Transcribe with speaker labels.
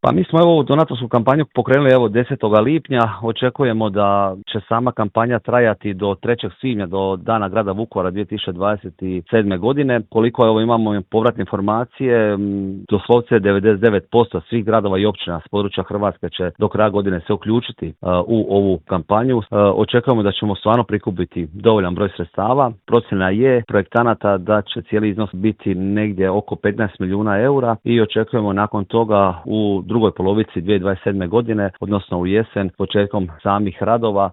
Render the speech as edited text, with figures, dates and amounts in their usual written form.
Speaker 1: Pa mi smo ovu donatorsku kampanju pokrenuli 10. lipnja. Očekujemo da će sama kampanja trajati do 3. svibnja, do Dana grada Vukovara 2027. godine. Koliko imamo povratne informacije, doslovce 99% svih gradova i općina s područja Hrvatske će do kraja godine se uključiti u ovu kampanju. Očekujemo da ćemo stvarno prikupiti dovoljan broj sredstava. Procjena je projektanata da će cijeli iznos biti negdje oko 15 milijuna eura i očekujemo nakon toga u drugoj polovici 2027. godine, odnosno u jesen, početkom samih radova,